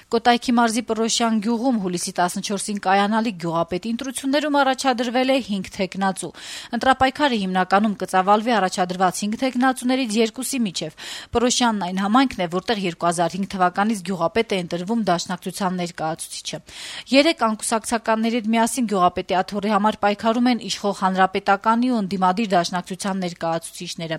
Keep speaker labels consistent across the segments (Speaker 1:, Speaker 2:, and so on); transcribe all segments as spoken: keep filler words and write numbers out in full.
Speaker 1: Կոտայքի մարզի Պռոշյան գյուղում հուլիսի տասնչորսին կայանալիք գյուղապետի ընտրություններում առաջադրվել է հինգ թեկնածու։ Ընտրապայքարը հիմնականում կծավալվի առաջադրված հինգ թեկնածուներից երկուսի միջև։ Պռոշյանն այն համայնքն է, որտեղ երկու հազար հինգ թվականից գյուղապետ է ընտրվում դաշնակցության ներկայացուցիչը։ Երեք անկուսակցականների հետ միասին գյուղապետի աթոռի համար պայքարում են իշխող հանրապետականի ու ընդդիմադիր դաշնակցության ներկայացուցիչները։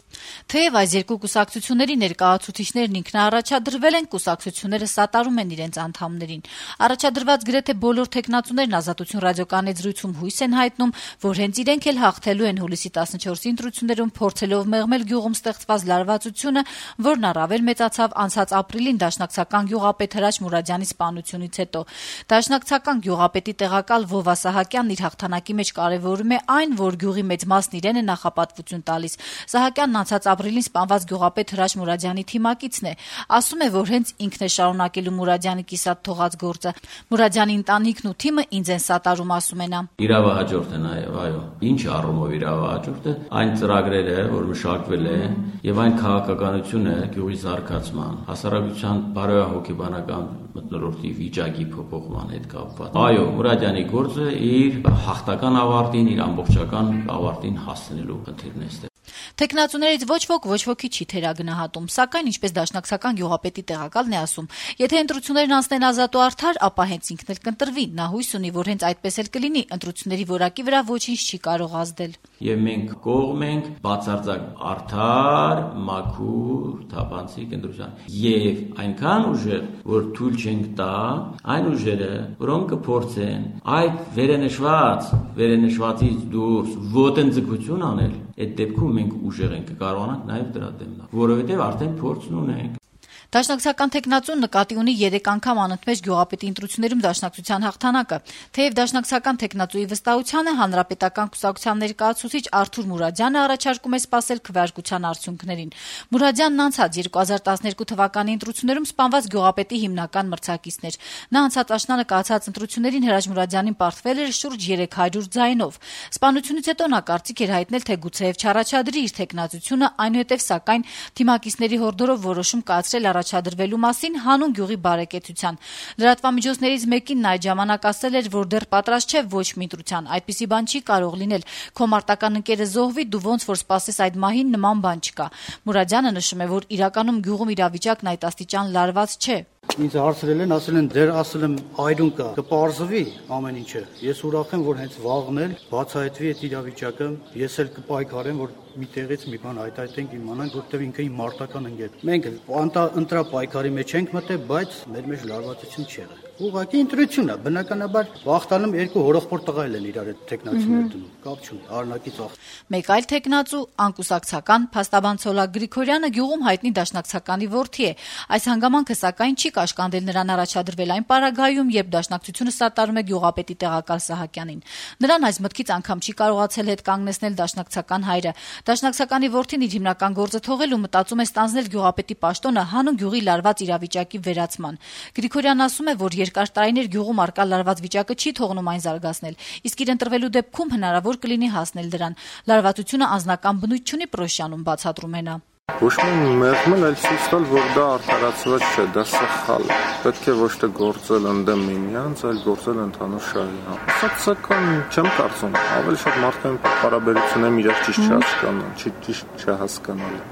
Speaker 1: Թեև այս երկու կուսակցությունների ներկայացուցիչներն ինքնաառաջադրվել են, կուսակցությունները սատարում են իրենց անդամներին։ Առաջադրված գրեթե բոլոր թեկնածուներն Ազատություն ռադիոկայանի զրույցում հույս են հայտնում, որ հենց իրենք էլ հաղթելու են հուլիսի տասնչորսի ընտրություններում, փորձելով մեղմել գյուղում ստեղծված լարվածությունը, որն առավել մեծացավ անցած ապրիլին դաշնակցական գյուղապետ Հրաչ Մուրադյանի սպանությունից հետո։ Դաշնակցական գյուղապետի տեղակալ Վովա Սահակյանն իր հաղթանակի մեջ կարևորում է այն, որ գյուղի մեծ մասն իրեն է նախապատվություն տալիս։ Սահակյանն անցած ապրիլին սպանված գյուղապետ Հրաչ Մուրադյանի թիմակիցն է։ Ասում է, որ հենց ինքն է շարունակելու Մուրադյանի կիսատ թողած գործը։ Մուրադյանի ընտանիքն ու թիմը ինձ են սատարում, ասում է նա։
Speaker 2: Իրավահաջորդ է նաև, այո։ Ինչ առումով իրավահաջորդ է, այն ծրագրերը, որ մշակվել է, եւ այն քաղաքականությունը գյուղի զարգացման, հասարակության բարոյահոգեբանական մթնոլորտի վիճակի փոփոխման հետ կապված։ Այո, Մուրադյանի գործը իր հաղթական ավարտին, իր ամբողջական ավարտին հասնելու խնդիրն է։
Speaker 1: Թեկնածուներից ոչ ոք ոչ ոքի չի թերագնահատում, սակայն ինչպես դաշնակցական գյուղապետի տեղակալն է ասում, եթե ընտրություններն անցնեն ազատ ու արդար, ապա հենց ինքն էլ կընտրվի։ Նա հույս ունի, որ հենց այդպես էլ կլինի, ընտրությունների որակի վրա ոչինչ չի կարող ազդել։
Speaker 2: Եվ մենք կողմ ենք բացարձակ արդար, մաքուր, թափանցիկ ընտրության։ Եվ այնքան ուժեղ, որ թույլ չենք տա այն ուժերը, որոնք կփորձեն այդ վերենշված, վերենշվածից դուրս ոտնձգություն անել, այդ դեպքում մենք ուժեղ ենք կարողանանք նաև դրա դեմ գնալ, որովհետև արդեն փորձն ունենք։
Speaker 1: Դաշնակցական թեկնածուն նկատի ունի երեք անգամ անընդմեջ գյուղապետի ընտրություններում դաշնակցության հաղթանակը, թեև դաշնակցական թեկնածուի վստահությանը հանրապետական կուսակցության ներկայացուցիչ Արթուր Մուրադյանը առաջարկում է սպասել քվեարկության արդյունքներին։ Մուրադյանն անցած երկու հազար տասներկու թվականի ընտրություններում սպանված գյուղապետի հիմնական մրցակիցն էր։ Նա անցած աշնանը կայացած ընտրություններին Հրաչ Մուրադյանին պարտվել էր շուրջ երեք հարյուր ձայնով։ Սպանությունից հետո նա կարծիք էր հայտնել, թե գուցեև չառաջադրի իր թեկնածությունը, այնուհետև սակայն թիմակիցների հորդորով որոշում կայացրել առաջադրվելու մասին հանուն գյուղի բարեկեցության։ Լրատվամիջոցներից մեկին նա այդ ժամանակ ասել էր, որ դեռ պատրաստ չէ ոչ մի ընտրության, այդպիսի բան չի կարող լինել։ Քո մարտական ընկերը զոհվի, դու ոնց որ սպասես այդ մահին, նման բան չկա։ Մուրադյանը նշում է, որ իրականում գյուղում իրավիճակն այդ աստիճան լարված չէ։
Speaker 3: Ինձ հարցրել են, ասել են դեր ասել եմ այդուն կա, կպարզվի ամեն ինչը։ Ես ուրախ եմ, որ հենց վաղն էլ բացահայտվի այդ իրավիճակը, ես էլ կպայքարեմ, որ մի տեղից մի բան հայտարարենք, իմանանք, որտեղ ինքը իմ մարտական ընկեր։ Մենք ընտրապայքարի մեջ ենք մտել, բայց մեր մեջ լարվածություն չի եղել։ Ուղղակի ընտրություն է, բնականաբար վախտանում երկու հորոխբոր տղա են իրար այդ տեխնացիներ դնում, կապ չունի, արնակից ախ։
Speaker 1: Մեկ այլ տեխնացու անկուսակցական Փաստաբան Ցոլակ Գրիգորյանը գյուղում հայտնի դաշնակցականի որդի է։ Այս հանգամանքը սակայն չի կաշկանդել նրան առաջադրվել այն պարագայում, երբ դաշնակցությունը սատարում է գյուղապետի տեղակալ Սահակյանին։ Նրան այս մտքից անգամ չի կարողացել հետ կանգնեցնել դաշնակցական հայրը։ Դաշնակցականի որդին իր հիմնական գործը թողել ու մտածում է ստանձնել գյուղապետի պաշտոնը հանուն գյուղի լարված իրավիճակի վերացման։ Գրիգորյանն ասում է, որ երկար տարիներ գյուղում արկա լարված վիճակը չի թողնում այն զարգացնել, իսկ իր ընտրվելու դեպքում հնարավոր կլինի հասնել դրան։ Լարվածությունը անձնական բնույթ չունի, Պռոշյանում բացատրում է նա։
Speaker 4: Ոչ մի մեղմել այլ ցույց տալ, որ դա արդարացված չէ, դա սխալ է։ Պետք է ոչ թե գործել ընդդեմ միմյանց, այլ գործել ընդհանուր շահի համար։ Սակայն չեմ կարծում, ավելի շատ մարդկային հարաբերություններում իրար ճիշտ չհասկանան, ճիշտ չհասկանալու։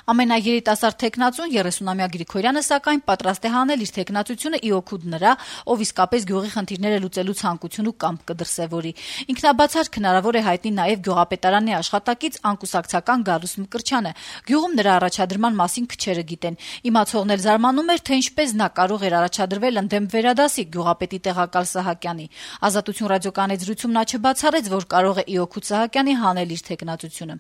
Speaker 1: Ամենաերիտասարդ թեկնածուն երեսունամյա Գրիգորյանը սակայն պատրաստ է հանել իր թեկնածությունը ի օգուտ նրա, ով իսկապես գյուղի խնդիրները լուծելու ցանկություն ու կամք կդրսևորի։ Ինքնաբացարկ հնարավոր է հայտնի նաև գյուղապետարանի աշխատակից անկուսակցական Գալուստ Մկրտչյանը։ Գյուղում նրա առաջադրման մասին քչերը գիտեն։ Իմացողն էլ զարմանում էր, թե ինչպես նա կարող էր առաջադրվել ընդդեմ վերադասի գյուղապետի տեղակալ Սահակյանի։ Ազատություն ռադիոկայանի զրույցում նա չբացառեց, որ կարող է ի օգուտ Սահակյանի հանել իր թեկնածությունը։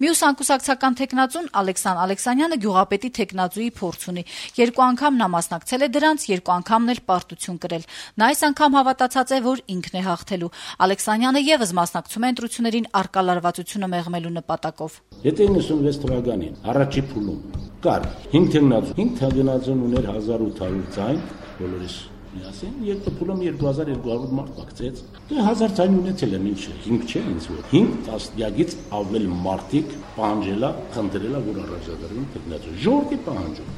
Speaker 1: Մյուս անկուսակցական թեկնածուն Ալեքսան Ալեքսանյանը գյուղապետի թեկնածուի փորձ ունի։ Երկու անգամ նա մասնակցել է դրանց, երկու անգամն էլ պարտություն կրել։ Նա այս անգամ հավատացած է, որ ինքն է հաղթելու։ Ալեքսանյանը եւս մասնակցում է ընտրություններին արկա լարվածությունը մեղմելու նպատակով։
Speaker 5: Եթե իննսունվեց թվականին առաջի փուլում կար հինգ թեկնածու, հինգ թեկնածուն ուներ հազար ութ հարյուր ձայն, բոլորիս միասին, երկու փուլում երկու հազար երկու հարյուր մարդ մաքցեց։ Դե հազար ձայն ունեցել եմ, ինչ է, հինգ չէ ինձ որ։ հինգ տասնյակից ավել մարդիկ պահանջելա, խնդրելա, որ առաջադրվեն թեկնածու։ Ժողովրդի պահանջում։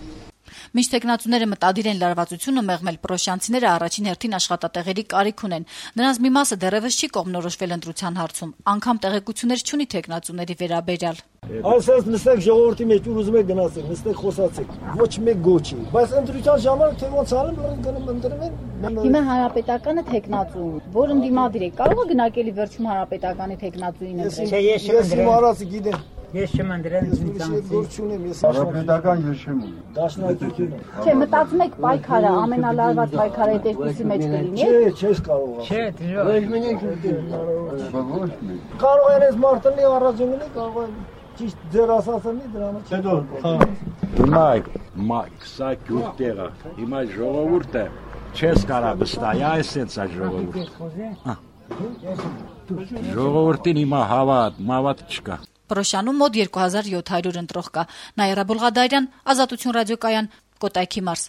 Speaker 1: Մինչ տեխնացուները մտադիր են լարվածությունը մեղմել, պրոշյանցիները առաջին հերթին աշխատատեղերի կարիք ունեն։ Նրանց մի մասը դեռևս չի կողմնորոշվել ընտրության հարցում, անգամ տեղեկություններ չունի տեխնացուների վերաբերյալ։
Speaker 6: Այսպես նստեք ժողովրդի մեջ ուր ուզում եք գնացեք, նստեք խոսացեք, ոչ մեկ գոչի, բայց ընտրության ժամանակ թե ոնց արեմ, գնում ընտրում են։
Speaker 7: Հիմա հանրապետականը տեխնացու, որ ընդդիմադիր է, կարող է գնակելի վերջում հանրապետականի տեխնացուին ընտրել։
Speaker 6: Չէ, ես չեմ արածի գիտեմ։
Speaker 8: Ես չեմ ընդրել
Speaker 6: ինձանից։
Speaker 9: Հանրապետական ես չեմ ունի։
Speaker 6: Դաշնակցությունը։
Speaker 7: Չէ, մտածում եք պայքարը ամենալարված պայքարը երկուսի մեջ կլինի։
Speaker 6: Չէ, չես կարող։
Speaker 8: Չէ, դժվար։
Speaker 9: Ոչ մի
Speaker 6: Կարող են այս մարտի առաջին ունի, կարող են ճիշտ ձեր ասածնի դրանից հետո։
Speaker 5: Հիմա մայք սա գյուտերը, հիմա ժողովուրդը չես կարա վստահի, այսպես է ժողովուրդը։ Ժողովրդին հիմա հավատ, մավատ չկա։
Speaker 1: Պրոշյանում մոտ երկու հազար յոթ հարյուր ընտրող կա։ Նաիրա Բուլղադարյան, Ազատություն ռադիոկայան, Կոտայքի մարզ։